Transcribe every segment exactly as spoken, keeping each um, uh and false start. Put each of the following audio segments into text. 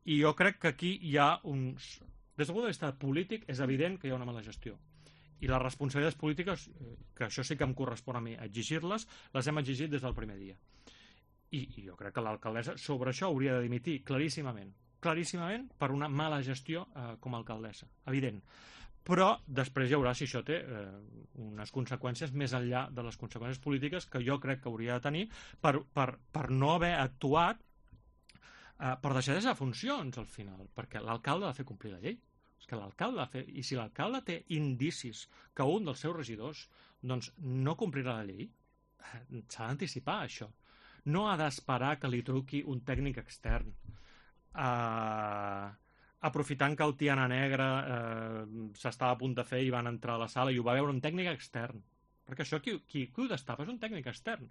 I jo crec que aquí hi ha uns... Des del punt de vista polític és evident que hi ha una mala gestió. I les responsabilitats polítiques, que això sí que em correspon a mi exigir-les, les hem exigit des del primer dia. I, i jo crec que l'alcaldessa sobre això hauria de dimitir claríssimament. Claríssimament per una mala gestió eh, com a alcaldessa. Evident. Però després hi haurà, si això té eh, unes conseqüències més enllà de les conseqüències polítiques que jo crec que hauria de tenir per, per, per no haver actuat eh, per deixadesa de funcions al final, perquè l'alcalde ha de fer complir la llei. És que l'alcalde ha de fer... I si l'alcalde té indicis que un dels seus regidors doncs, no complirà la llei, s'ha d'anticipar això. No ha d'esperar que li truqui un tècnic extern. Eh... aprofitant que el Tiana Negra eh, s'estava a punt de fer i van entrar a la sala i ho va veure un tècnic extern. Perquè això qui, qui, qui ho destapa és un tècnic extern.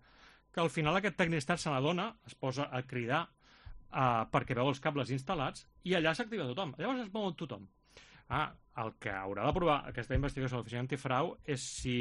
Que al final aquest tècnic extern se n'adona, es posa a cridar eh, perquè veu els cables instal·lats i allà s'activa tothom. Llavors es mou tothom. Ah, el que haurà d'aprovar aquesta investigació de l'Oficina Antifrau és si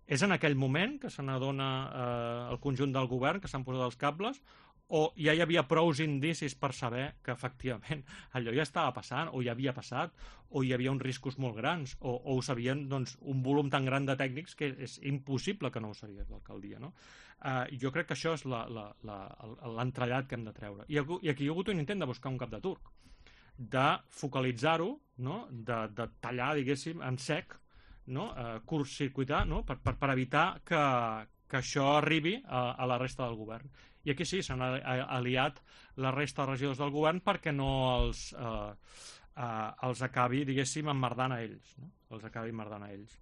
és en aquell moment que se n'adona eh, el conjunt del govern que s'han posat els cables o ja hi havia prous indicis per saber que efectivament allò ja estava passant, o ja havia passat, o hi havia uns riscos molt grans, o, o ho sabien doncs, un volum tan gran de tècnics que és impossible que no ho sabia l'alcaldia, no? Uh, jo crec que això és l'entrellat que hem de treure. I, I aquí hi ha hagut un intent de buscar un cap de turc, de focalitzar-ho, no? de, de tallar, diguéssim, en sec, no? uh, curtcircuitar, no? per, per, per evitar que, que això arribi a, a la resta del govern. I aquí sí, s'han aliat la resta de regidors del govern perquè no els, eh, eh, els acabi, diguéssim, emmerdant a ells. No? Els acabi emmerdant a ells.